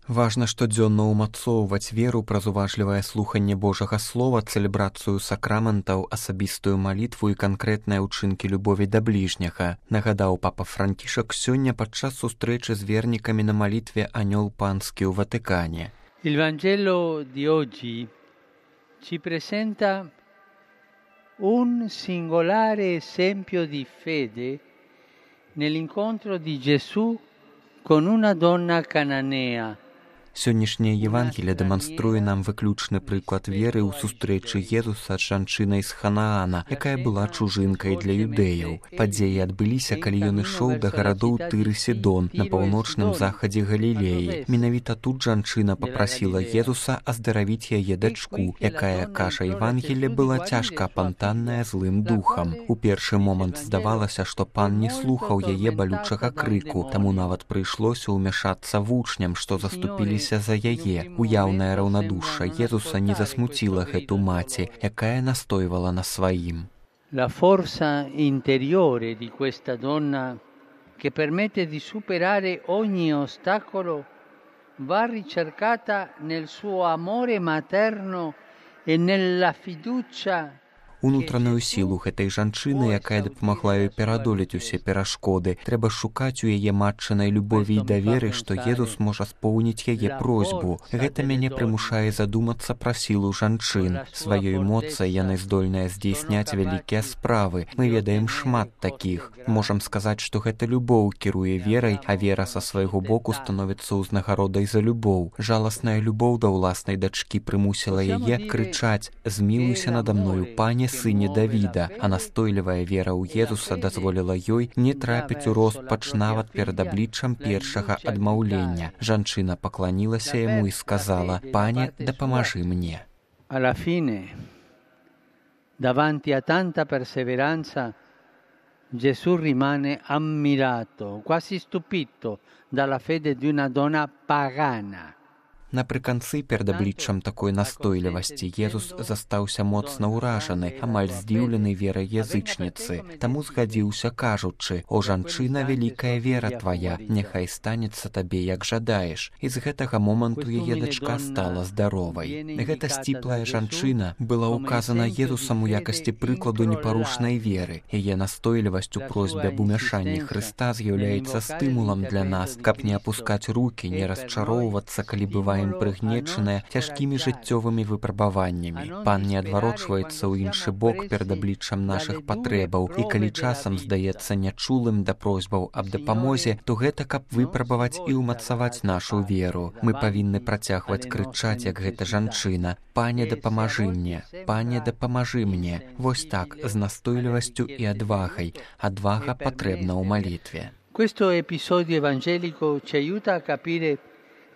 Важна штодзённа ўмацоўваць веру праз уважлівае слуханне Божага слова, цэлебрацыю сакраментаў, асабістую малітву і канкрэтныя ўчынкі любові да бліжняга, нагадаў папа Франкішак сёння падчас сустрэчы з вернікамі на малітве «Анёл панскі» ў Ватыкане. Il Vangelo di oggi ci presenta un singolare esempio di fede nell'incontro di Gesù con una donna cananea. Сённяшняе Евангелие дэманструе нам выключны прыклад веры ў сустрэчы Езуса з жанчынай з Ханаана, якая была чужынкай для юдэяў. Падзеі адбыліся, калі ён ішоў да гарадоў Тыр і Сідон на паўночным захадзе Галілеі. Менавіта тут жанчына папрасіла Езуса аздаравіць яе дачку, якая, кажа Евангелие, была цяжка апантаная злым духам. У першы момант здавалася, што пан не слухаў яе балючага крыку, таму нават прыйшлося ўмяшацца вучням, што заступіліся за яе. Уяўнае раўнадушша Езуса не засмуціла гэту маці, якая настойвала на сваім. La forza interiore di questa donna che permette di superare ogni ostacolo va ricercata nel suo amore materno e nella fiducia. Унутраную сілу гэтай жанчыны, якая дапамагла ёй перадолець усе перашкоды, трэба шукаць у яе матчынай любові і даверы, што Езус можа споўніць яе просьбу. Гэта мяне прымушае задумацца пра сілу жанчын. Сваёй моцай яны здольныя здзейсняць вялікія справы. Мы ведаем шмат такіх. Можам сказаць, што гэта любоў кіруе верай, а вера са свайго боку становіцца ўзнагародай за любоў. Жаласная любоў да ўласнай дачкі прымусіла яе крычаць: «Змілуйся надо мною, пане, сыне Давіда», а настойлівая вера ў Езуса дазволіла ёй не трапіць у роспач нават перад абліччам першага адмаўлення. Жанчына пакланілася яму і сказала: «Пане, дапамажы мне». Alla fine, davanti a tanta perseveranza, Gesù rimane ammirato, quasi stupito dalla fede di una donna pagana. Напрыканцы перад абліччам такой настойлівасці Езус застаўся моцна ўражаны, амаль здзіўлены верай язычніцы. Таму згадзіўся, кажучы: «О, жанчына, вялікая вера твая, няхай станецца табе, як жадаеш». І з гэтага моманту яе дачка стала здаровай. Гэта сціплая жанчына была ўказана Езусам у якасці прыкладу непарушнай веры. Яе настойлівасць у просьбе аб умяшанні Хрыста з'яўляецца стымулам для нас, каб не апускаць рукі, не расчароўвацца, калі бываем прыгнечаныя цяжкімі жыццёвымі выпрабаваннямі. Пан не адварочваецца ў іншы бок перад абліччам нашых патрэбаў, і калі часам здаецца нячулым да просьбаў аб дапамозе, то гэта каб выпрабаваць і ўмацаваць нашу веру. Мы павінны працягваць крычаць, як гэта жанчына: «Пане, дапамажы мне, пане, дапамажы мне». Вось так, з настойлівасцю і адвагай. Адвага патрэбна ў малітве. Questo episodio evangelico ci aiuta a capire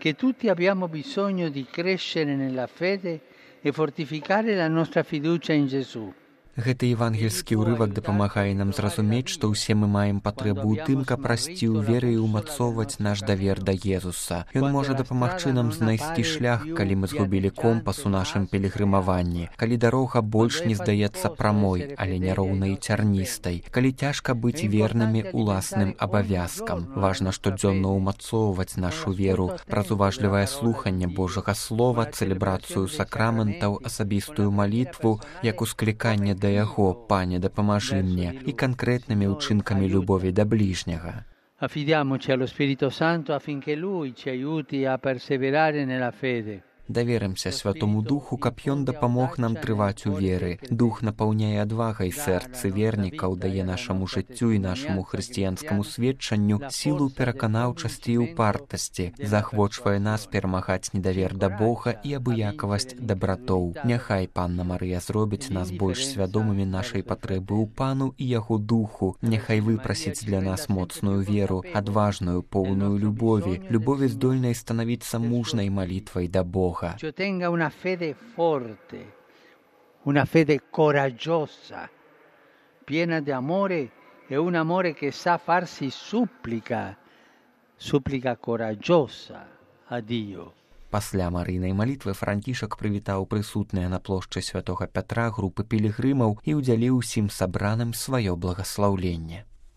che tutti abbiamo bisogno di crescere nella fede e fortificare la nostra fiducia in Gesù. Гэты евангельскі ўрывак дапамагае нам зразумець, што ўсе мы маем патрэбу ў тым, каб расці ў веры і ўмацоўваць наш давер да Езуса. Ён можа дапамагчы нам знайсці шлях, калі мы згубілі компас у нашым пілігрымаванні, калі дарога больш не здаецца прамой, але няроўнай і цярністай, калі цяжка быць вернымі уласным абавязкам. Важна штодзённа ўмацоўваць нашу веру праз уважлівае слуханне Божага слова, цэлебрацыю сакраментаў, асабістую малітву, як ускліканне да яго: «Пане, дапамажы мне», і канкрэтнымі ўчынкамі любові да бліжняга. Affidiamoci allo Spirito Santo affinché Lui ci aiuti a perseverare nella fede. Даверымся Святому Духу, каб ён дапамог нам трываць у веры. Дух напаўняе адвагай сэрцы вернікаў, дае нашаму жыццю і нашаму хрысціянскаму сведчанню сілу пераканаўчасці і упартасці, заахвочвае нас перамагаць недавер да Бога і абыякавасць дабратоў. Няхай Панна Марыя зробіць нас больш свядомымі нашай патрэбы ў Пану і Яго Духу. Няхай выпрасіць для нас моцную веру, адважную, поўную любові, любові здольнай станавіцца мужнай малітвай да Бога. Ci ottenga una fede forte, una fede coraggiosa, piena di amore e un amore che sa farsi supplica coraggiosa a Dio. Пасля Марыйнай малітвы Франкішак прывітаў прысутныя на плошчы святога Пятра групы пілігрымаў і ўдзяліў усім сабраным сваё благаслаўленне.